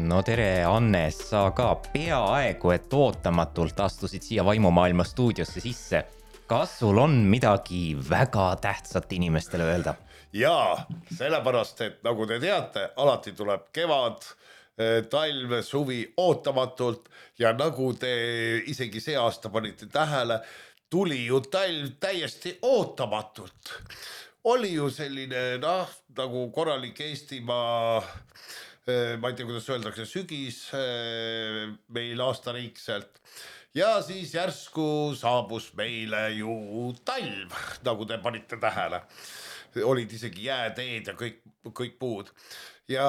No tere, Anne, sa ka peaaegu, et ootamatult astusid siia Vaimumaailma stuudiosse sisse. Kas sul on midagi väga tähtsat inimestele öelda? Jaa, sellepärast, et nagu te teate, alati tuleb kevad, talv, suvi ootamatult ja nagu te isegi see aasta panite tähele, tuli ju talv täiesti ootamatult. Oli ju selline, nagu korralik Eestimaa, ma ei tea, kuidas öeldakse, sügis meil aastariikselt. Ja siis järsku saabus meile ju talv, nagu te panite tähele. Olid isegi jääteed ja kõik muud. Ja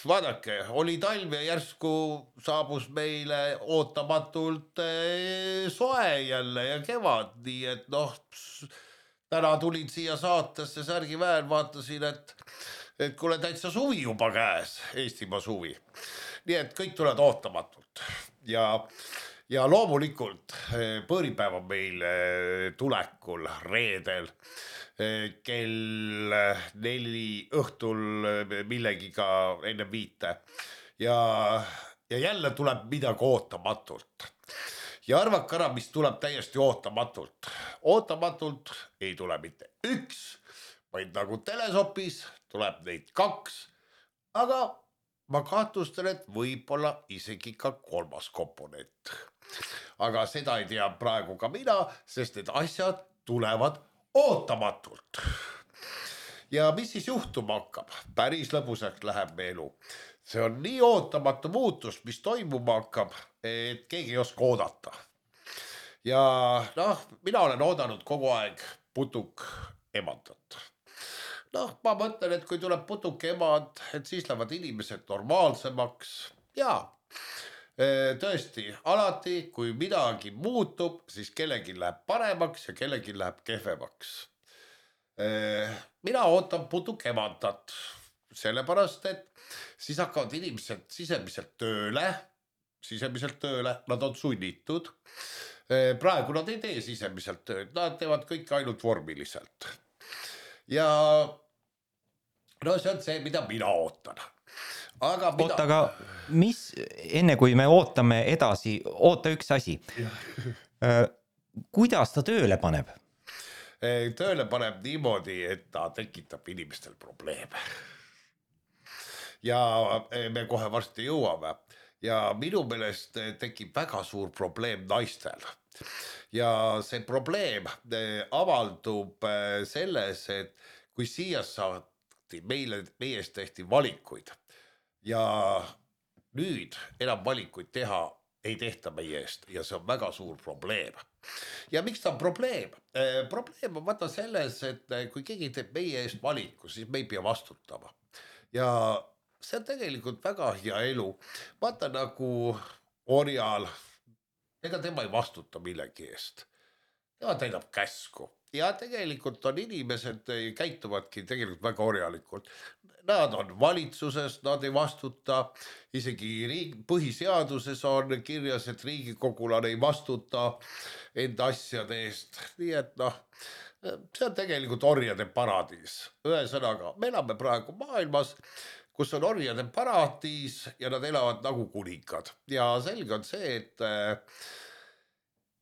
vaadake, oli talv ja järsku saabus meile ootamatult soe jälle ja kevad, nii et täna tulin siia saatesse särgi väär, vaatasin, et kuule täitsa suvi juba käes, Eestimaa suvi. Nii et kõik tulevad ootamatult ja loomulikult põõripäev on meil tulekul reedel kell 4 õhtul millegiga enne 5 ja jälle tuleb midagi ootamatult. Ja arvake ära, mis tuleb täiesti ootamatult. Ootamatult ei tule mitte üks, vaid nagu telesopis tuleb neid 2, aga ma kahtlustan, et võib-olla isegi ka 3. komponent. Aga seda ei tea praegu ka mina, sest need asjad tulevad ootamatult. Ja mis siis juhtuma hakkab? Päris lõbusaks läheb me elu. See on nii ootamatu muutus, mis toimuma hakkab, et keegi ei oska oodata. Ja mina olen oodanud kogu aeg putuk emandat. Ma mõtlen, et kui tuleb putuk emand, et siis lähevad inimesed normaalsemaks. Ja tõesti, alati kui midagi muutub, siis kellegi läheb paremaks ja kellegi läheb kehvemaks. Mina ootan putuk emandat, sellepärast, et siis hakkavad inimesed sisemiselt tööle, nad on sunnitud. Praegu nad ei tee sisemiselt tööd, nad teevad kõik ainult vormiliselt. Ja see on see, mida mina ootan. Aga mis, enne kui me ootame edasi, oota üks asi. Kuidas ta tööle paneb? Tööle paneb niimoodi, et ta tekitab inimestel probleeme. Ja me kohe varsti jõuame. Ja minu meelest tekib väga suur probleem naistel. Ja see probleem avaldub selles, et kui siia saati, meie eest tehti valikuid ja nüüd enam valikuid teha ei tehta meie eest ja see on väga suur probleem. Ja miks ta on probleem? Probleem on vaata selles, et kui keegi teeb meie eest valiku, siis me ei pea vastutama. Ja see on tegelikult väga hea elu. Vaata nagu orjal, ega tema ei vastuta millegi eest. Tema täidab käsku. Ja tegelikult on inimesed, käituvadki tegelikult väga orjalikult. Nad on valitsuses, nad ei vastuta. Isegi põhiseaduses on kirjas, et riigikogulane ei vastuta enda asjade eest. Nii et see on tegelikult orjade paradiis. Ühesõnaga, me elame praegu maailmas, kus on orjade paradiis ja nad elavad nagu kuningad. Ja selge on see,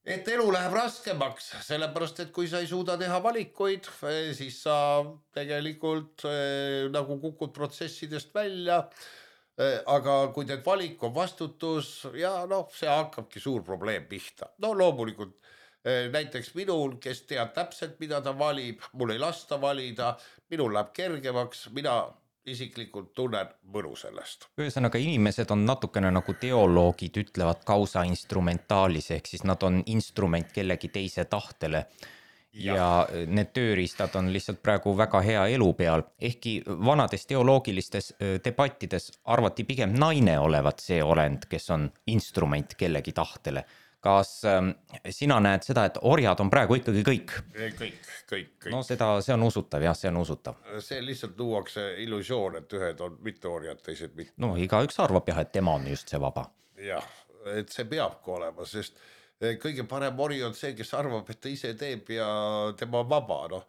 et elu läheb raskemaks, sellepärast, et kui sa ei suuda teha valikuid, siis sa tegelikult nagu kukud protsessidest välja, aga kui teed valik on vastutus ja see hakkabki suur probleem pihta. Loomulikult näiteks minul, kes teab täpselt, mida ta valib, mul ei lasta valida, minul läheb kergemaks, mina isiklikult tunnen mõnu sellest. Ühesõnaga, inimesed on natukene nagu teoloogid ütlevad causa instrumentalis, ehk siis nad on instrument kellegi teise tahtele. Ja need tööriistad on lihtsalt praegu väga hea elu peal. Ehkki vanades teoloogilistes debattides arvati pigem naine olevat see olend, kes on instrument kellegi tahtele. Kas sina näed seda, et orjad on praegu ikkagi kõik? Kõik. No see on usutav, jah, see on usutav. See lihtsalt luuakse illusioon, et ühed on mitte orjad, teised mitte. No igaüks arvab jah, et tema on just see vaba. Jah, et see peabki olema, sest kõige parem ori on see, kes arvab, et ta ise teeb ja tema on vaba.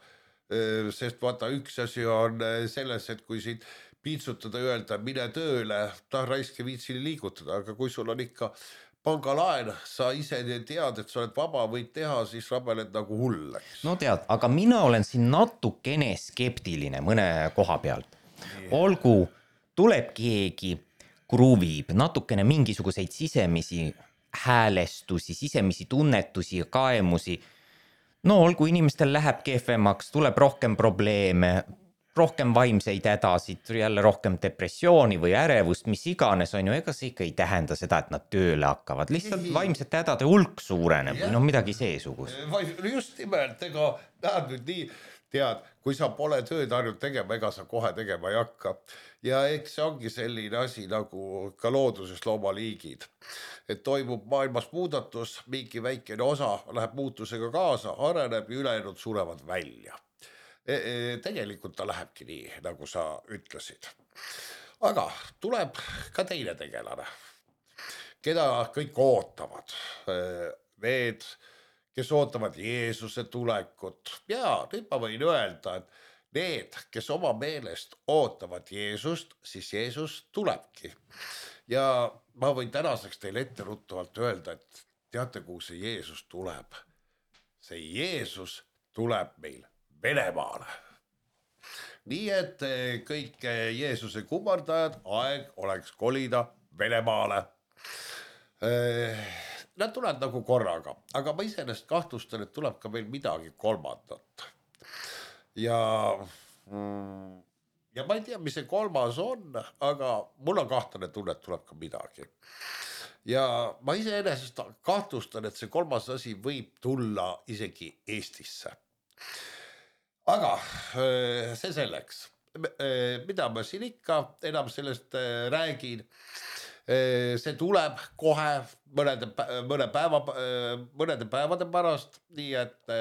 Sest vaata, üks asi on selles, et kui sind piitsutada, öelda mine tööle, raiske viitsili liigutada, aga kui sul on ikka pangalaen, sa ise tead, et sa oled vaba, võid teha, siis rabeled nagu hull, eks. no tead, aga mina olen siin natukene skeptiline mõne koha pealt. Olgu, tuleb keegi, kruvib natukene mingisuguseid sisemisi häälestusi, sisemisi tunnetusi ja kaemusi. No olgu, inimestel läheb kehvemaks, tuleb rohkem probleeme, rohkem vaimseid hädasid, jälle rohkem depressiooni või ärevust, mis iganes on ju, ega see ikka ei tähenda seda, et nad tööle hakkavad, lihtsalt vaimsete hädade hulk suureneb või noh, midagi seesugust. Just nimelt, ega näed nüüd nii, tead, kui sa pole tööd harjunud tegema, ega sa kohe tegema ei hakka. Ja eks see ongi selline asi nagu ka looduses loomaliigid, et toimub maailmas muudatus, mingi väikene osa läheb muutusega kaasa, areneb ja ülejäänud surevad välja. Tegelikult ta lähebki nii, nagu sa ütlesid. Aga tuleb ka teine tegelane, keda kõik ootavad. Need, kes ootavad Jeesuse tulekut. Ja nüüd ma võin öelda, et need, kes oma meelest ootavad Jeesust, siis Jeesus tulebki. Ja ma võin tänaseks teile etteruttavalt öelda, et teate, kuhu see Jeesus tuleb? See Jeesus tuleb meil Venemaale. Nii et kõik Jeesuse kummardajad, aeg oleks kolida Venemaale. Nad tulevad nagu korraga, aga ma iseenesest kahtlustan, et tuleb ka veel midagi kolmandat. Ja ma ei tea, mis see kolmas on, aga mul on kahtlane tunne, et tuleb ka midagi. Ja ma iseenesest kahtlustan, et see kolmas asi võib tulla isegi Eestisse. Aga see selleks, mida ma siin ikka enam sellest räägin, see tuleb kohe mõnede päevade pärast, nii et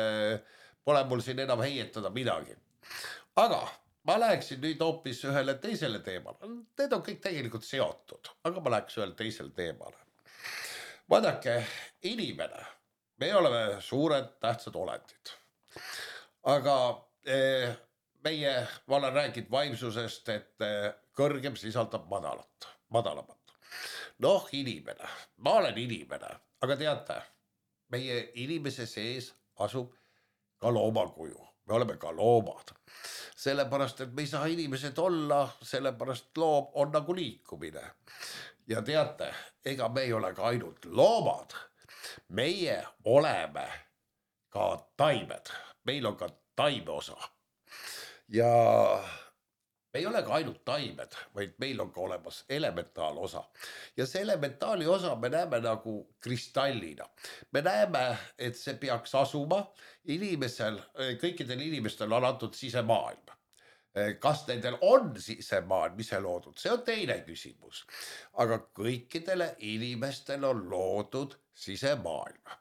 pole mul siin enam heietada midagi. Aga ma läheksin nüüd hoopis ühele teisele teemale. Need on kõik tegelikult seotud, aga ma läheks ühele teisele teemale. Vaadake, inimene, me oleme suured tähtsad olendid. Aga ma olen rääkinud vaimsusest, et kõrgem sisaldab madalamat. Noh, inimene, ma olen inimene, aga teate, meie inimese sees asub ka loomakuju, me oleme ka loomad. Sellepärast, et me ei saa inimesed olla, sellepärast loom on nagu liikumine. Ja teate, ega me ei ole ka ainult loomad, meie oleme ka taimed, meil on ka taime osa. Ja me ei ole ka ainult taimed, vaid meil on ka olemas elementaalosa. Ja see elementaali osa me näeme nagu kristallina. Me näeme, et see peaks asuma inimesel, kõikidel inimestel on antud sisemaailm. Kas nendel on sisemaailm ise loodud, see on teine küsimus. Aga kõikidele inimestel on loodud sisemaailm.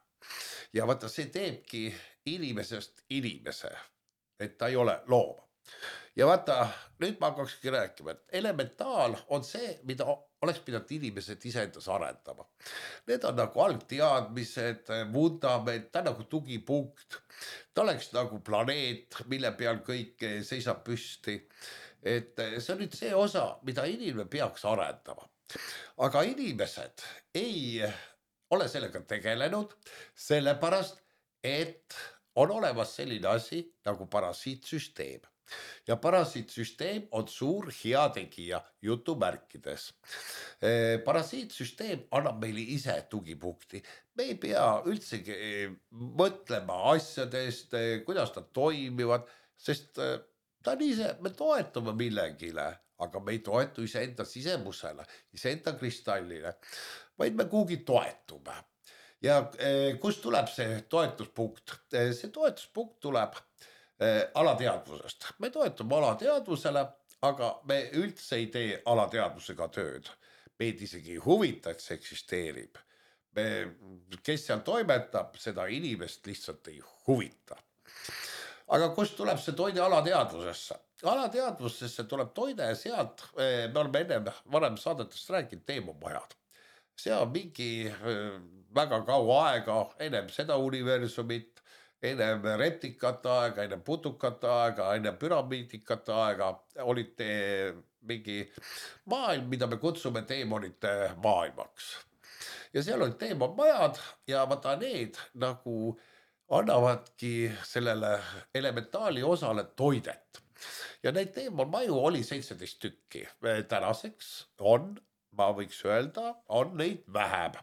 Ja vaata, see teebki inimesest inimese, et ta ei ole loom. Ja vaata, nüüd ma hakkakski rääkima, et elementaal on see, mida oleks pidanud inimesed iseendas arendama. Need on nagu algteadmised, vundament, ta on nagu tugipunkt. Ta oleks nagu planeet, mille peal kõik seisab püsti. Et see on nüüd see osa, mida inimene peaks arendama. Aga inimesed ei ole sellega tegelenud, sellepärast, et on olemas selline asi nagu parasiitsüsteem. Ja parasiitsüsteem on suur heategija jutumärkides. Parasiitsüsteem annab meile ise tugipunkti. Me ei pea üldsegi mõtlema asjadest, kuidas nad toimivad, sest ta on ise, me toetume millegile, aga me ei toetu iseenda sisemusele, iseenda kristallile, vaid me kuhugi toetume. Ja kust tuleb see toetuspunkt? See toetuspunkt tuleb alateadvusest. Me toetume alateadvusele, aga me üldse ei tee alateadvusega tööd. Meid isegi ei huvita, et see eksisteerib. Kes seal toimetab, seda inimest lihtsalt ei huvita. Aga kust tuleb see toide alateadvusesse? Alateadvusesse tuleb toide ja sealt, me oleme varem saadetest rääkinud, teemumajad. See on mingi väga kaua aega, ennem seda universumit, ennem reptikate aega, ennem putukate aega, ennem püramiidikate aega olite mingi maailm, mida me kutsume teemonite maailmaks. Ja seal olid teemonmajad ja vaata need nagu annavadki sellele elementaali osale toidet. Ja neid teemonmaju oli 17 tükki. Tänaseks on, ma võiks öelda, on neid vähem.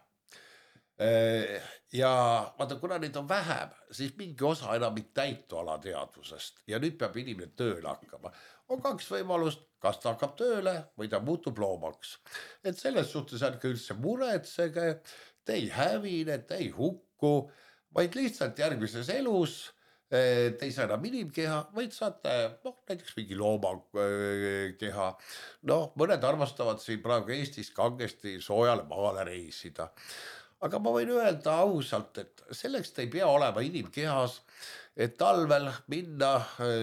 Ja vaata, kuna neid on vähem, siis mingi osa enam ei täitu alateadvusest ja nüüd peab inimene tööle hakkama. On kaks võimalust, kas ta hakkab tööle või ta muutub loomaks. Et selles suhtes ärge üldse muretsege, te ei hävine, te ei hukku, vaid lihtsalt järgmises elus te ei saa enam inimkeha, vaid saate näiteks mingi loomakeha. Mõned armastavad siin praegu Eestis kangesti soojale maale reisida. Aga ma võin öelda ausalt, et selleks te ei pea olema inimkehas, et talvel minna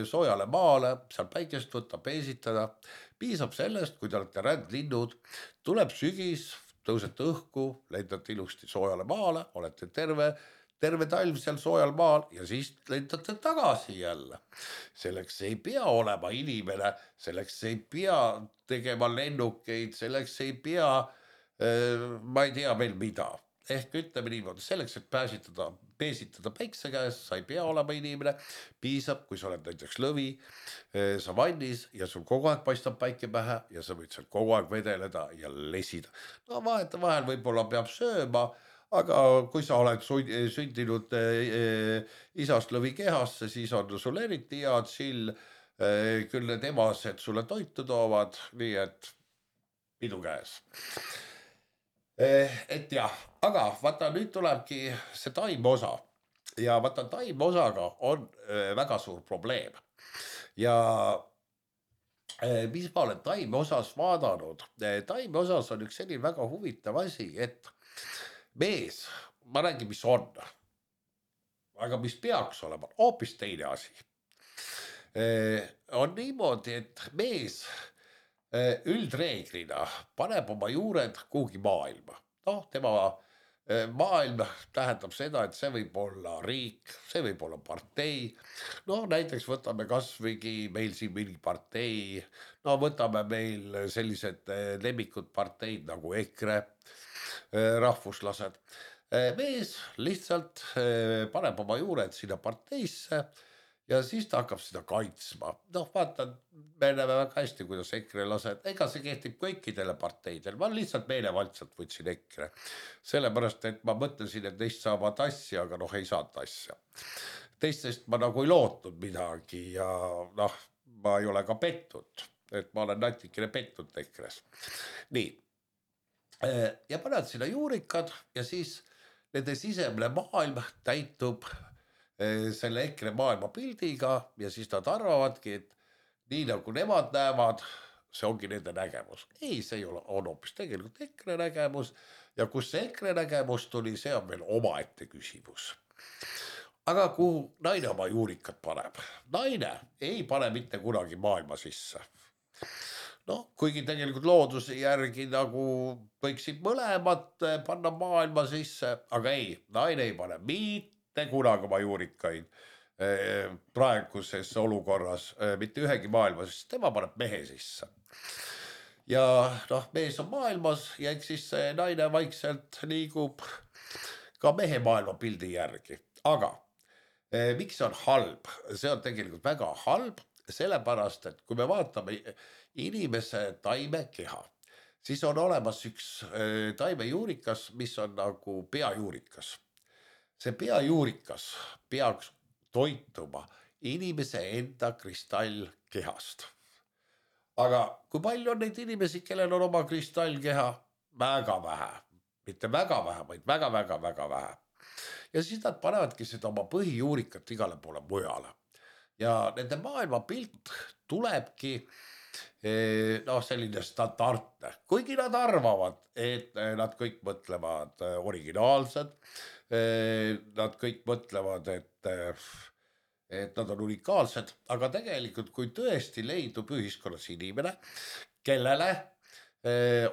soojale maale, seal päikest võtta, peesitada. Piisab sellest, kui te olete rändlinnud, tuleb sügis, tõusete õhku, lendate ilusti soojale maale, olete terve talv seal soojal maal ja siis lendate tagasi jälle. Selleks ei pea olema inimene, selleks ei pea tegema lennukeid, selleks ei pea, ma ei tea veel mida. Ehk ütleme niimoodi, selleks, et peesitada päikse käes, sa ei pea olema inimene, piisab, kui sa oled näiteks lõvi savannis ja sul kogu aeg paistab päike pähe ja sa võid seal kogu aeg vedeleda ja lesida. Vahetevahel võib-olla peab sööma, aga kui sa oled sündinud isast lõvi kehasse, siis on sul eriti hea chill, küll need emased sulle toitu toovad, nii et pidu käes. Et jah, aga vaata nüüd tulebki see taimeosa ja vaata taimeosaga on väga suur probleem. Ja mis ma olen taimeosas vaadanud, taimeosas on üks selline väga huvitav asi, et mees, ma räägin, mis on, aga mis peaks olema, hoopis teine asi. On niimoodi, et mees üldreeglina paneb oma juured kuhugi maailma. Tema maailm tähendab seda, et see võib olla riik, see võib olla partei. Näiteks võtame kasvõigi meil siin mingi partei, võtame meil sellised lemmikud parteid nagu EKRE, rahvuslased. Mees lihtsalt paneb oma juured sinna parteisse ja siis ta hakkab seda kaitsma. Vaata, me näeme väga hästi, kuidas EKRE lased, ega see kehtib kõikidele parteidele, ma lihtsalt meelevaldselt võtsin EKRE. Sellepärast, et ma mõtlesin, et neist saavad asja, aga ei saanud asja. Teistest ma nagu ei lootnud midagi ja ma ei ole ka pettud, et ma olen natikene pettud EKRE-s. Nii, ja paned sinna juurikad ja siis nende sisemine maailm täitub selle EKRE maailma pildiga ja siis nad arvavadki, et nii nagu nemad näevad, see ongi nende nägemus. Ei, see on hoopis tegelikult EKRE nägemus ja kus see EKRE nägemus tuli, see on veel omaette küsimus. Aga kuhu naine oma juurikad paneb? Naine ei pane mitte kunagi maailma sisse. Kuigi tegelikult looduse järgi nagu võiksid mõlemad panna maailma sisse, aga ei, naine ei pane mitte kunagi oma juurikaid praeguses olukorras mitte ühegi maailma, sest tema paneb mehe sisse. Ja mees on maailmas ja eks siis naine vaikselt liigub ka mehe maailma pildi järgi. Aga miks see on halb? See on tegelikult väga halb, sellepärast, et kui me vaatame inimese taimekeha, siis on olemas üks taimejuurikas, mis on nagu peajuurikas. See peajuurikas peaks toituma inimese enda kristallkehast. Aga kui palju on neid inimesi, kellel on oma kristallkeha? Väga vähe. Mitte väga vähe, vaid väga vähe. Ja siis nad panevadki seda oma põhijuurikat igale poole mujale. Ja nende maailmapilt tulebki selline standardne, kuigi nad arvavad, et nad kõik mõtlevad originaalsed, nad kõik mõtlevad, et nad on unikaalsed, aga tegelikult kui tõesti leidub ühiskonnas inimene, kellele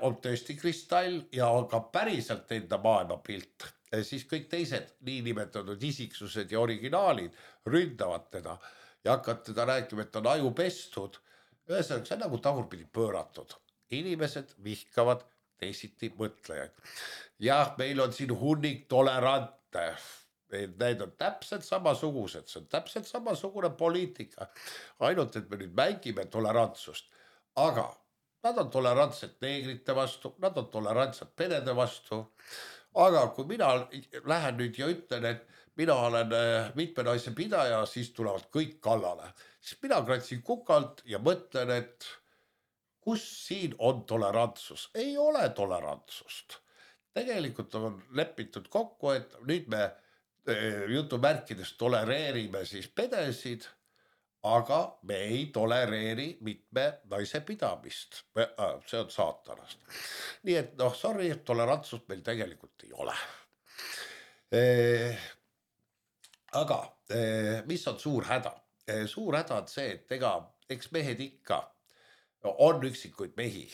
on tõesti kristall ja on ka päriselt enda maailmapilt, siis kõik teised niinimetatud isiksused ja originaalid ründavad teda ja hakkavad teda rääkima, et ta on ajupestud. Ühesõnaga, see on nagu tagurpidi pööratud. Inimesed vihkavad teisiti mõtlejaid. Jah, meil on siin hunnik tolerante. Need on täpselt samasugused, see on täpselt samasugune poliitika. Ainult, et me nüüd mängime tolerantsust. Aga nad on tolerantsed neegrite vastu, nad on tolerantsed perede vastu. Aga kui mina lähen nüüd ja ütlen, et mina olen mitme naise pidaja, siis tulevad kõik kallale. Siis mina kratsin kukalt ja mõtlen, et kus siin on tolerantsus? Ei ole tolerantsust. Tegelikult on lepitud kokku, et nüüd me jutumärkides tolereerime siis pedesid, aga me ei tolereeri mitme naise pidamist. See on saatanast. Nii et noh, sorry, tolerantsust meil tegelikult ei ole. Aga mis on suur häda? Suur häda on see, et eks mehed ikka on üksikuid mehi,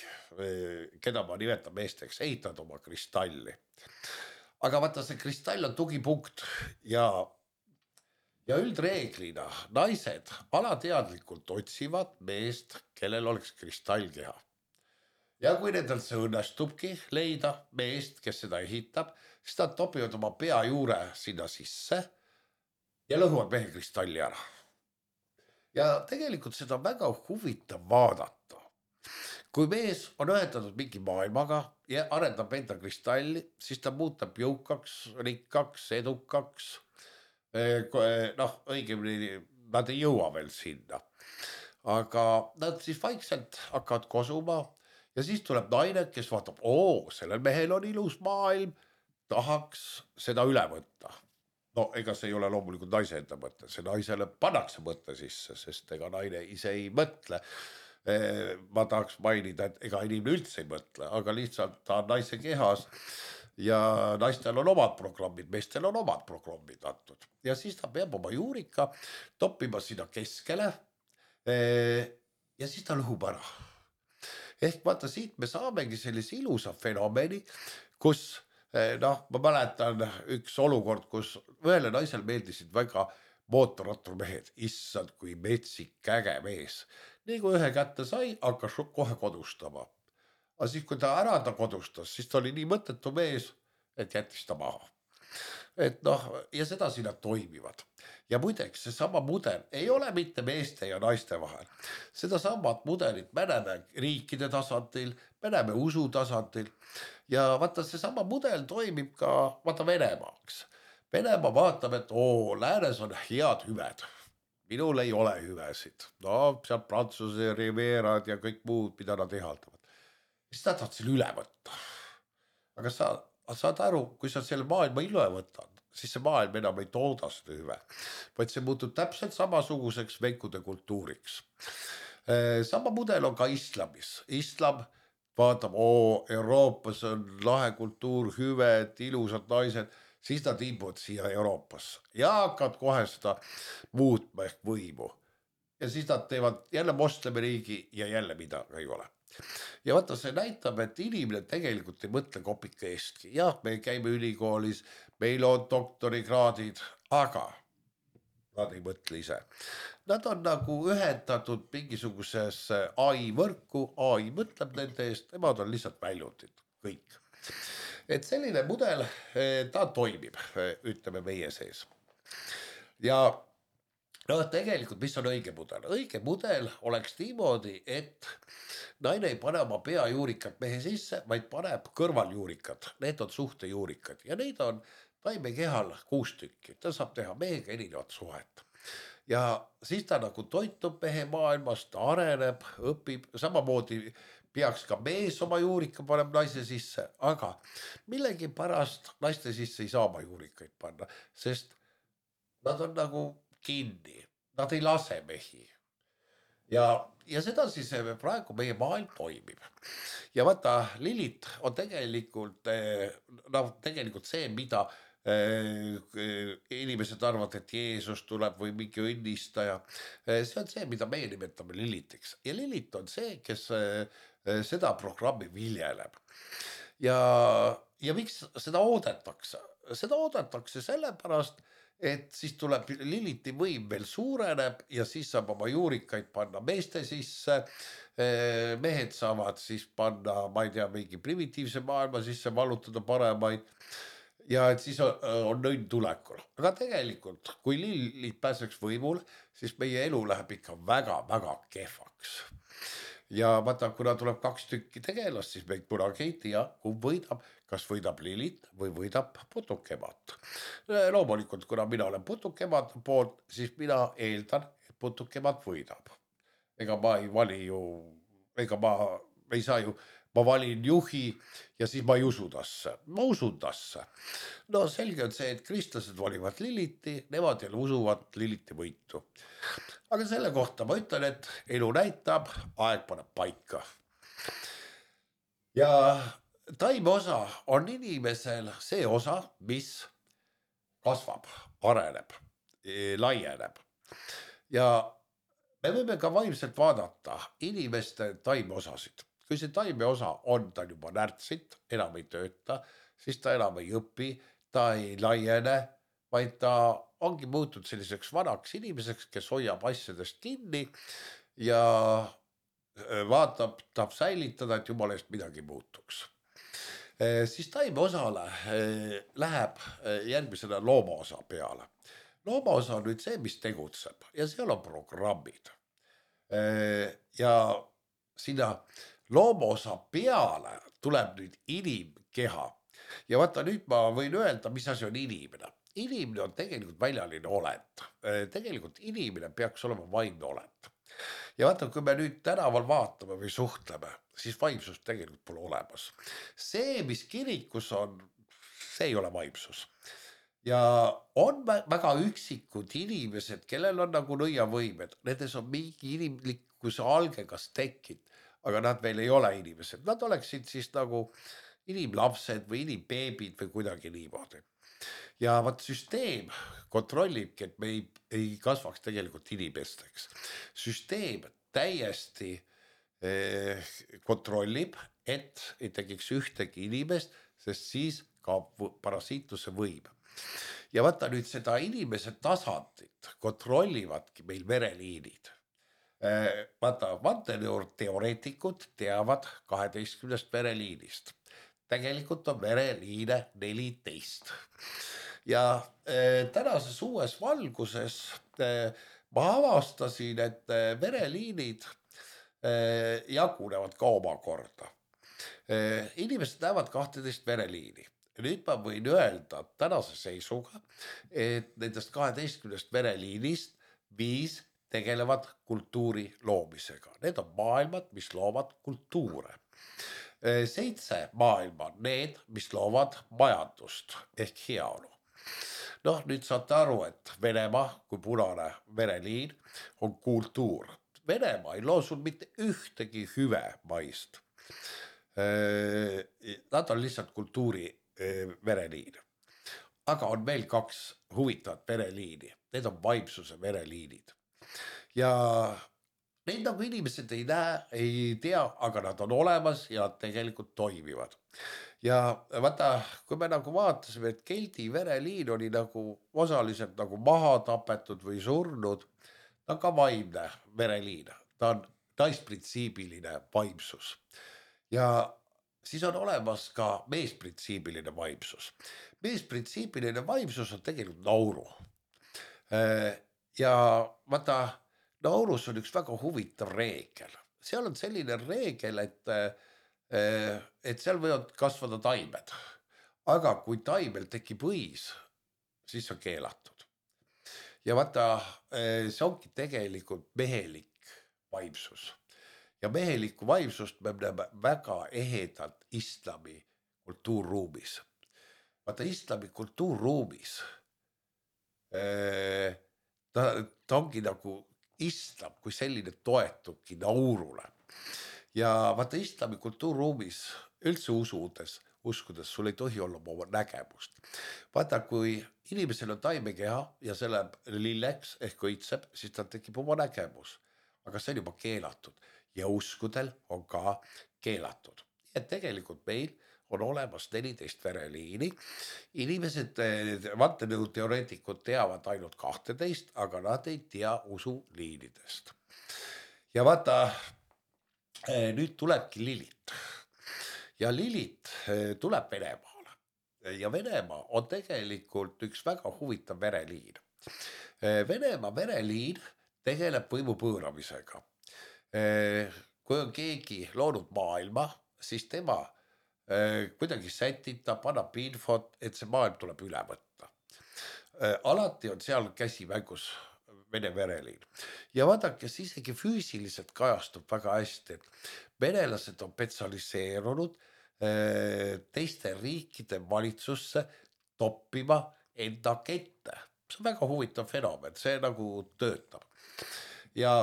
keda ma nimetan meesteks, ehitavad oma kristalli. Aga vaata, see kristall on tugipunkt ja üldreeglina naised alateadlikult otsivad meest, kellel oleks kristallkeha. Ja kui nendel see õnnestubki leida meest, kes seda ehitab, siis nad topivad oma pea juure sinna sisse ja lõhuvad mehe kristalli ära. Ja tegelikult seda on väga huvitav vaadata. Kui mees on ühendatud mingi maailmaga ja arendab enda kristalli, siis ta muutab jõukaks, rikkaks, edukaks. Noh, õigemini nad ei jõua veel sinna. Aga nad siis vaikselt hakkavad kosuma ja siis tuleb naine, kes vaatab, sellel mehel on ilus maailm, tahaks seda üle võtta. No ega see ei ole loomulikult naise enda mõte, see naisele pannakse mõte sisse, sest ega naine ise ei mõtle. Ma tahaks mainida, et ega inimene üldse ei mõtle, aga lihtsalt ta on naise kehas ja naistel on omad programmid, meestel on omad programmid antud. Ja siis ta peab oma juurika toppima sinna keskele ja siis ta lõhub ära. Ehk vaata, siit me saamegi sellise ilusa fenomeni, kus ma mäletan üks olukord, kus ühele naisel meeldisid väga mootorratturmehed, issand kui metsik äge mees. Nii kui ühe kätte sai, hakkas kohe kodustama. Aga siis kui ta ära kodustas, siis ta oli nii mõttetu mees, et jättis ta maha. Et noh, ja sedasi nad toimivad. Ja muideks, see sama mudel ei ole mitte meeste ja naiste vahel. Seda samat mudelit me näeme riikide tasandil, me näeme usu tasandil. Ja vaata, see sama mudel toimib ka Venemaaks. Venemaa vaatab, et läänes on head hüved. Minul ei ole hüvesid. No, seal Prantsuse riveerad ja kõik muud, mida nad ehaldavad. Siis nad tahavad selle üle võtta. Aga sa saad aru, kui sa selle maailma üle võtad, siis see maailm enam ei tooda seda hüve. Vaid see muutub täpselt samasuguseks venkude kultuuriks. Sama mudel on ka islamis. Islam vaatab, Euroopas on lahe kultuur, hüved, ilusad naised. Siis nad imbuvad siia Euroopasse ja hakkavad kohe seda muutma ehk võimu. Ja siis nad teevad jälle moslemiriigi ja jälle midagi ei ole. Ja vaata, see näitab, et inimene tegelikult ei mõtle kopika eestki. Jah, me käime ülikoolis, meil on doktorikraadid, aga nad ei mõtle ise. Nad on nagu ühendatud mingisuguses AI võrku, AI mõtleb nende eest, nemad on lihtsalt väljundid, kõik. Et selline mudel, ta toimib, ütleme meie sees. Ja tegelikult, mis on õige mudel? Õige mudel oleks niimoodi, et naine ei pane oma peajuurikat mehe sisse, vaid paneb kõrvaljuurikad. Need on suhtejuurikad ja neid on taime kehal 6 tükki. Ta saab teha mehega erinevat suhet. Ja siis ta nagu toitub mehe maailmas, ta areneb, õpib, samamoodi peaks ka mees oma juurika paneb naise sisse, aga millegi pärast naiste sisse ei saa oma juurikaid panna, sest nad on nagu kinni, nad ei lase mehi. Ja seda siis praegu meie maailm toimib. Ja vaata, Lilith on tegelikult see, mida inimesed arvavad, et Jeesus tuleb või mingi õnnistaja. See on see, mida meie nimetame Lilithiks. Ja Lilith on see, kes seda programmi viljeleb. Ja miks seda oodatakse? seda oodatakse sellepärast, et siis tuleb Liliti võim veel suureneb ja siis saab oma juurikaid panna meeste sisse. Mehed saavad siis panna, ma ei tea, mingi primitiivse maailma sisse vallutada paremaid. Ja et siis on nõnn tulekul. Aga tegelikult, kui Lilit pääseks võimule, siis meie elu läheb ikka väga-väga kehvaks. Ja vaata, kuna tuleb 2 tükki tegelast, siis me kunagi ei tea, kumb võidab, kas võidab Lilit või võidab putukemat. Loomulikult, kuna mina olen putukemat poolt, siis mina eeldan, et putukemat võidab. Ega ma ei vali ju, ega ma ei saa ju, ma valin juhi ja siis ma ei usu tasse. Ma usun tasse. No selge on see, et kristlased valivad Liliti, nemad jälle usuvad Liliti võitu. Aga selle kohta ma ütlen, et elu näitab, aeg paneb paika. Ja taime osa on inimesel see osa, mis kasvab, areneb, laieneb. Ja me võime ka vaimselt vaadata inimeste taimeosasid. Kui see taimeosa on, ta juba närtsit, enam ei tööta, siis ta enam ei õpi, ta ei laiene, vaid ta ongi muutud selliseks vanaks inimeseks, kes hoiab asjadest kinni ja vaatab, tahab säilitada, et jumala eest midagi muutuks. Siis taimeosale läheb järgmisena loomaosa peale. Loomaosa on nüüd see, mis tegutseb ja seal on programmid. Ja sinna loomaosa peale tuleb nüüd inimkeha. Ja vaata, nüüd ma võin öelda, mis asi on inimene. Inimene on tegelikult väljaline olend. Tegelikult inimene peaks olema vaimne olend. Ja vaata, kui me nüüd tänaval vaatame või suhtleme, siis vaimsust tegelikult pole olemas. See, mis kirikus on, see ei ole vaimsus. Ja on väga üksikud inimesed, kellel on nagu nõiavõimed, nendes on mingi inimlikkuse alge kas tekkinud, aga nad veel ei ole inimesed. Nad oleksid siis nagu inimlapsed või inimbeebid või kuidagi niimoodi. Ja vaat süsteem kontrollibki, et me ei kasvaks tegelikult inimesteks. Süsteem täiesti kontrollib, et ei tekiks ühtegi inimest, sest siis kaob parasiitluse võim. Ja vaata nüüd seda inimese tasandit kontrollivadki meil vereliinid. Vaata, vandenõuteoreetikud teavad 12 vereliinist. Tegelikult on vereliine 14. Ja tänases uues valguses ma avastasin, et vereliinid jagunevad ka omakorda. Inimesed näevad 12 vereliini. Nüüd ma võin öelda tänase seisuga, et nendest 12 vereliinist 5 tegelevad kultuuri loomisega. Need on maailmad, mis loovad kultuure. 7 maailma on need, mis loovad majandust ehk heaolu. Noh, nüüd saate aru, et Venemaa kui punane vereliin on kultuur. Venemaa ei loo sul mitte ühtegi hüve maist. Nad on lihtsalt kultuuri vereliin. Aga on veel 2 huvitavat vereliini. Need on vaimsuse vereliinid. Ja neid nagu inimesed ei näe, ei tea, aga nad on olemas ja tegelikult toimivad. Ja vaata, kui me nagu vaatasime, et keldi vereliin oli nagu osaliselt nagu maha tapetud või surnud, ta on ka vaimne vereliin. Ta on naisprintsiibiline vaimsus. Ja siis on olemas ka meesprintsiibiline vaimsus. Meesprintsiibiline vaimsus on tegelikult nauru. Ja vaata, naurus on üks väga huvitav reegel. Seal on selline reegel, et seal võivad kasvada taimed. Aga kui taimel tekib õis, siis on keelatud. Ja vaata, see ongi tegelikult mehelik vaimsus. Ja mehelikku vaimsust me näeme väga ehedalt islami kultuurruumis. Vaata, islami kultuurruumis ta ongi nagu islam kui selline toetubki naurule. Ja vaata, islami kultuurruumis üldse uskudes sul ei tohi olla oma nägemust. Vaata, kui inimesel on taimekeha ja see läheb lilleks ehk õitseb, siis tal tekib oma nägemus. Aga see on juba keelatud ja uskudel on ka keelatud. Et tegelikult meil on olemas 14 vereliini. Inimesed, vandenõuteoreetikud teavad ainult 12, aga nad ei tea usuliinidest. Ja vaata, nüüd tulebki Lilith. Ja Lilith tuleb Venemaale. Ja Venemaa on tegelikult üks väga huvitav vereliin. Venemaa vereliin tegeleb võimu pööramisega. Kui on keegi loonud maailma, siis tema kuidagi sätitab, annab infot, et see maailm tuleb üle võtta. Alati on seal käsi mängus Vene vereliin. Ja vaadake, siis isegi füüsiliselt kajastub väga hästi, et venelased on spetsialiseerunud teiste riikide valitsusse toppima enda kette. See on väga huvitav fenomen, see nagu töötab. Ja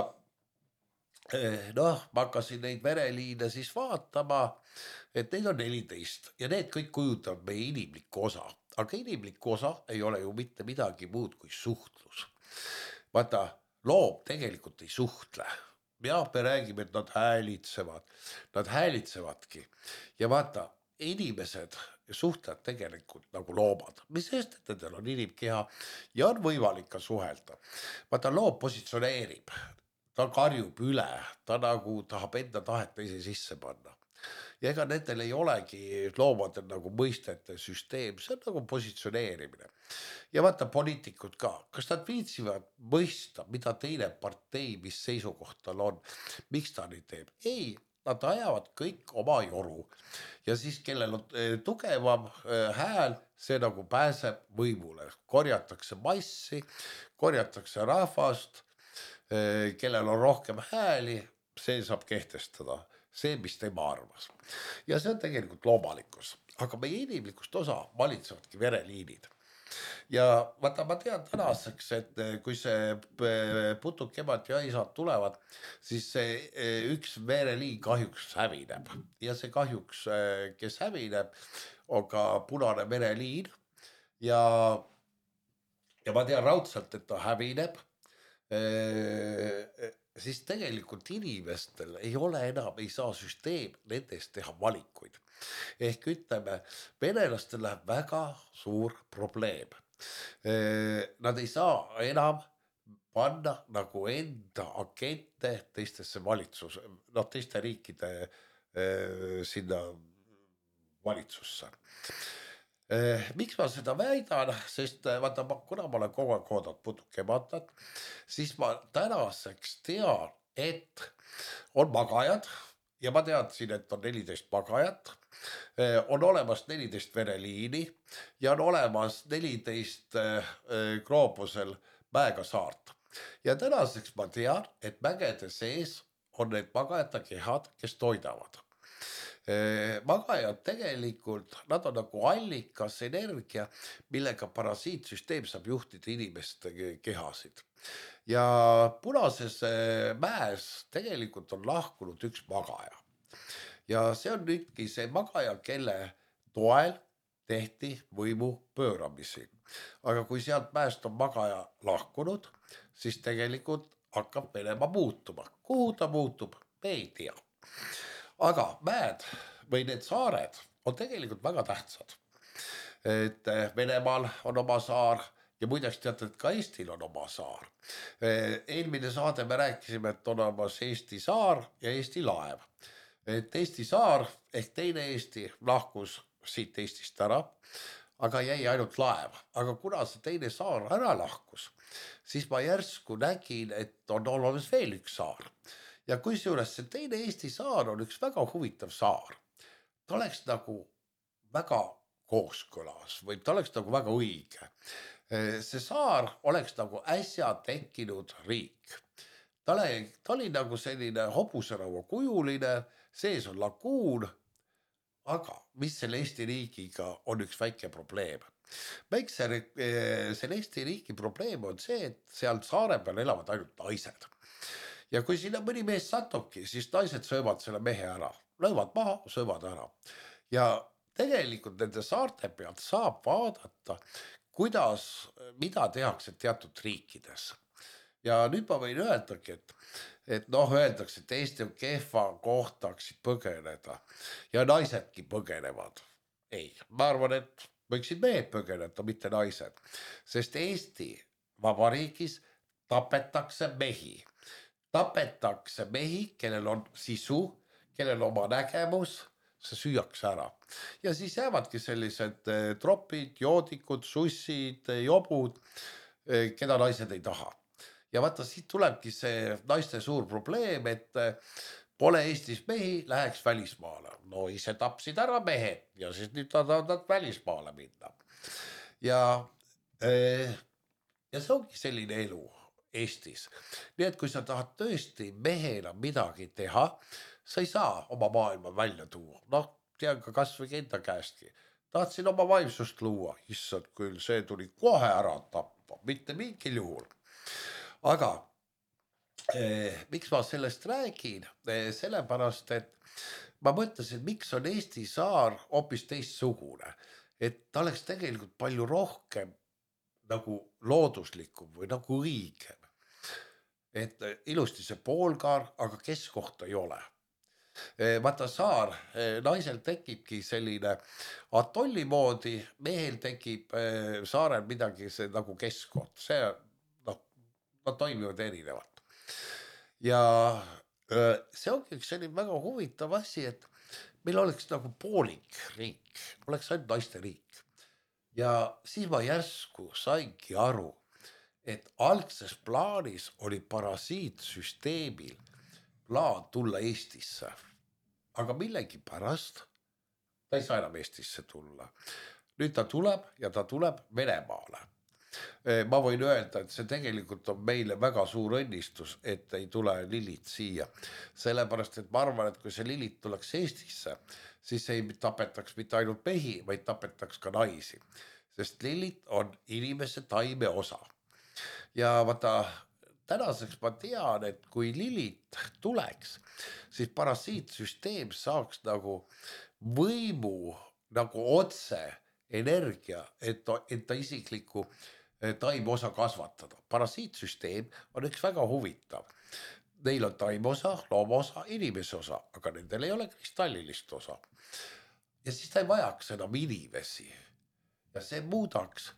noh, ma hakkasin neid vereliine siis vaatama, et neid on 14 ja need kõik kujutavad meie inimlikku osa. Aga inimlikku osa ei ole ju mitte midagi muud kui suhtlus. Vaata, loom tegelikult ei suhtle. Ja me räägime, et nad häälitsevad. Nad häälitsevadki. Ja vaata, inimesed suhtlevad tegelikult nagu loomad. Mis sest, et nendel on inimkeha ja on võimalik ka suhelda. Vaata, loom positsioneerib. Ta karjub üle, ta nagu tahab enda tahet teise sisse panna. Ja ega nendel ei olegi loomadel nagu mõistete süsteem, see on nagu positsioneerimine. Ja vaata poliitikud ka, kas nad viitsivad mõista, mida teine partei, mis seisukohtal on, miks ta nii teeb? Ei, nad ajavad kõik oma joru. Ja siis kellel on tugevam hääl, see nagu pääseb võimule. Korjatakse massi, korjatakse rahvast, kellel on rohkem hääli, see saab kehtestada. See, mis tema arvas. Ja see on tegelikult loomalikkus. Aga meie inimlikust osa valitsevadki vereliinid. Ja vaata, ma tean tänaseks, et kui see putukemad ja isad tulevad, siis see üks vereliin kahjuks hävineb. Ja see kahjuks, kes hävineb, on ka punane vereliin. Ja ma tean raudselt, et ta hävineb. Siis tegelikult inimestel ei ole enam, ei saa süsteem nendest teha valikuid. Ehk ütleme, venelastel läheb väga suur probleem. Nad ei saa enam panna nagu enda agente teistesse valitsus, teiste riikide sinna valitsusse. Miks ma seda väidan, sest vaata, kuna ma olen kogu aeg oodanud putukematat, siis ma tänaseks tean, et on magajad ja ma teadsin, et on 14 magajat, on olemas 14 vereliini ja on olemas 14 gloobusel mäega saart. Ja tänaseks ma tean, et mägede sees on need magajate kehad, kes toidavad. Magajad tegelikult, nad on nagu allikas energia, millega parasiitsüsteem saab juhtida inimeste kehasid. Ja punases mäes tegelikult on lahkunud üks magaja. Ja see on nüüdki see magaja, kelle toel tehti võimu pööramisi. Aga kui sealt mäest on magaja lahkunud, siis tegelikult hakkab Venemaa muutuma. Kuhu ta muutub, me ei tea. Aga mäed või need saared on tegelikult väga tähtsad. Et Venemaal on oma saar ja muideks teate, et ka Eestil on oma saar. Eelmine saade me rääkisime, et on olemas Eesti saar ja Eesti laev. Et Eesti saar ehk teine Eesti lahkus siit Eestist ära, aga jäi ainult laev. Aga kuna see teine saar ära lahkus, siis ma järsku nägin, et on olemas veel üks saar. Ja kusjuures see teine Eesti saar on üks väga huvitav saar. Ta oleks nagu väga kooskõlas või ta oleks nagu väga õige. See saar oleks nagu äsja tekkinud riik. Ta oli nagu selline hobuseraua kujuline, sees on laguun, aga mis selle Eesti riigiga on üks väike probleem. Selle Eesti riigi probleem on see, et seal saare peal elavad ainult naised. Ja kui sinna mõni mees satubki, siis naised söövad selle mehe ära. Löövad maha, söövad ära. Ja tegelikult nende saarte pealt saab vaadata, mida tehakse teatud riikides. Ja nüüd ma võin öeldagi, et öeldakse, et Eesti on kehva kohta, hakkasid põgeneda. Ja naisedki põgenevad. ei, ma arvan, et võiksid mehed põgeneda, mitte naised, sest Eesti Vabariigis tapetakse mehi, kellel on sisu, kellel oma nägemus, see süüakse ära. Ja siis jäävadki sellised tropid, joodikud, sussid, jobud, keda naised ei taha. Ja vaata, siit tulebki see naiste suur probleem, et pole Eestis mehi, läheks välismaale. No ise tapsid ära mehed ja siis nüüd tahavad välismaale minna. Ja, ja see ongi selline elu Eestis. Nii et kui sa tahad tõesti mehena midagi teha, sa ei saa oma maailma välja tuua. Noh, tean ka kas või enda käestki. Tahtsin oma vaimsust luua, issand küll, see tuli kohe ära tappa, mitte mingil juhul. Aga miks ma sellest räägin? Sellepärast, et ma mõtlesin, miks on Eesti saar hoopis teistsugune. Et ta oleks tegelikult palju rohkem nagu looduslikum või nagu õigem. Et ilusti see poolkaar, aga keskkohta ei ole. Vaata saar, naisel tekibki selline atolli moodi, mehel tekib saarel midagi see nagu keskkond. See, noh, nad toimivad erinevalt. Ja see ongi üks selline väga huvitav asi, et meil oleks nagu poolik riik, oleks ainult naiste riik. Ja siis ma järsku saingi aru, et algses plaanis oli parasiitsüsteemil plaan tulla Eestisse. Aga millegipärast ta ei saa enam Eestisse tulla. Nüüd ta tuleb ja ta tuleb Venemaale. Ma võin öelda, et see tegelikult on meile väga suur õnnistus, et ei tule Lillit siia. Sellepärast, et ma arvan, et kui see Lillit tuleks Eestisse, siis ei tapetaks mitte ainult mehi, vaid tapetaks ka naisi. Sest Lillit on inimese taime osa. Ja vaata, tänaseks ma tean, et kui Lillit tuleks, siis parasiitsüsteem saaks nagu võimu nagu otse energia, et ta isikliku taimosa kasvatada. Parasiitsüsteem on üks väga huvitav. Neil on taimosa, loomosa, inimese osa, aga nendel ei ole kristallilist osa. Ja siis ta ei vajaks enam inimesi. Ja see muudaks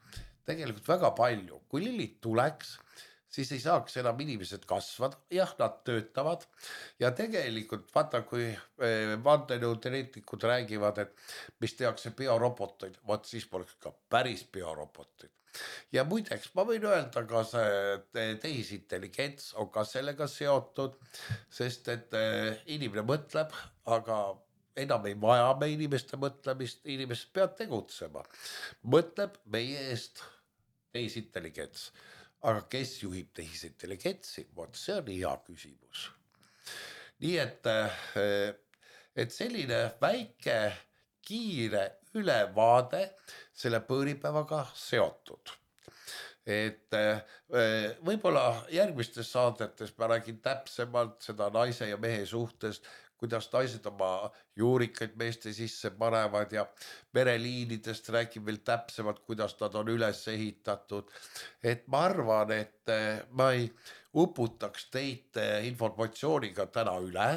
tegelikult väga palju. Kui Lillit tuleks, siis ei saaks enam inimesed kasvada. Jah, nad töötavad. Ja tegelikult vaata, kui vandenõuteoreetikud räägivad, et mis tehakse bioroboteid, vaat siis poleks ka päris bioroboteid. Ja muideks, ma võin öelda ka see tehisintelligents on ka sellega seotud, sest et inimene mõtleb, aga enam ei vaja me inimeste mõtlemist, inimesed peavad tegutsema. Mõtleb meie eest tehisintelligents. Aga kes juhib tehisintelligentsi? Vot see on hea küsimus. Nii et selline väike kiire ülevaade selle pööripäevaga seotud. Et võib-olla järgmistes saadetes ma räägin täpsemalt seda naise ja mehe suhtes, kuidas naised oma juurikaid meeste sisse panevad ja mereliinidest räägin veel täpsemalt, kuidas nad on üles ehitatud. Et ma arvan, et ma ei uputaks teid informatsiooniga täna üle.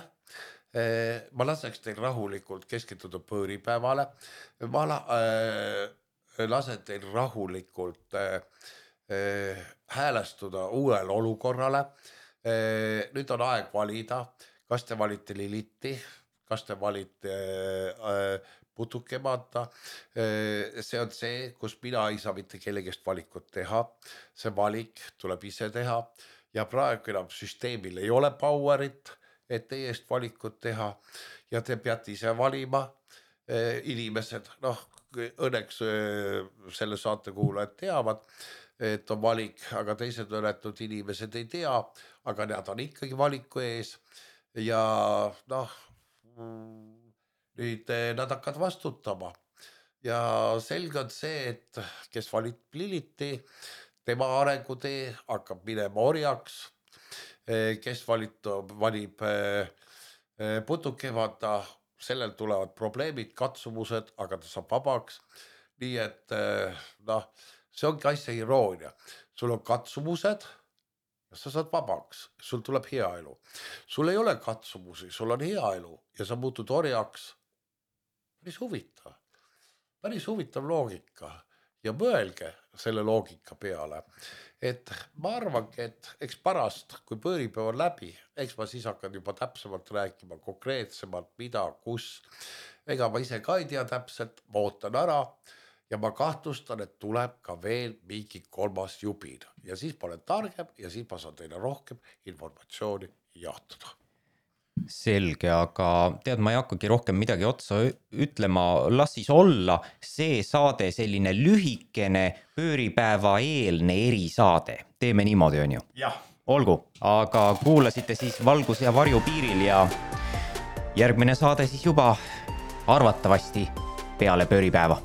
Ma laseks teil rahulikult keskenduda pööripäevale. Ma lasen teil rahulikult häälestuda uuele olukorrale. Nüüd on aeg valida, kas te valite Lilitti, kas te valite putukemata. See on see, kus mina ei saa mitte kellegist valikut teha. See valik tuleb ise teha ja praegu enam süsteemil ei ole powerit, et teie eest valikut teha ja te peate ise valima. Inimesed, noh, õnneks selle saate kuulajad teavad, et on valik, aga teised õnnetud inimesed ei tea, aga nad on ikkagi valiku ees ja noh, nüüd nad hakkavad vastutama ja selge on see, et kes valib Liliti, tema arengutee hakkab minema orjaks, kes valib putukemata, sellel tulevad probleemid, katsumused, aga ta saab vabaks. Nii et noh, see ongi asja iroonia. Sul on katsumused ja sa saad vabaks, sul tuleb hea elu. Sul ei ole katsumusi, sul on hea elu ja sa muutud orjaks. Mis huvitav. päris huvitav loogika ja mõelge selle loogika peale, et ma arvangi, et eks pärast, kui pööripäev on läbi, eks ma siis hakkan juba täpsemalt rääkima konkreetsemalt, mida, kus. Ega ma ise ka ei tea täpselt, ma ootan ära ja ma kahtlustan, et tuleb ka veel mingi 3. jubin ja siis ma olen targem ja siis ma saan teile rohkem informatsiooni jaotada. Selge, aga tead, ma ei hakkagi rohkem midagi otsa ütlema, las siis olla see saade selline lühikene pööripäeva eelne erisaade. Teeme niimoodi, on ju? Jah. Olgu, aga kuulasite siis Valguse ja varju piiril ja järgmine saade siis juba arvatavasti peale pööripäeva.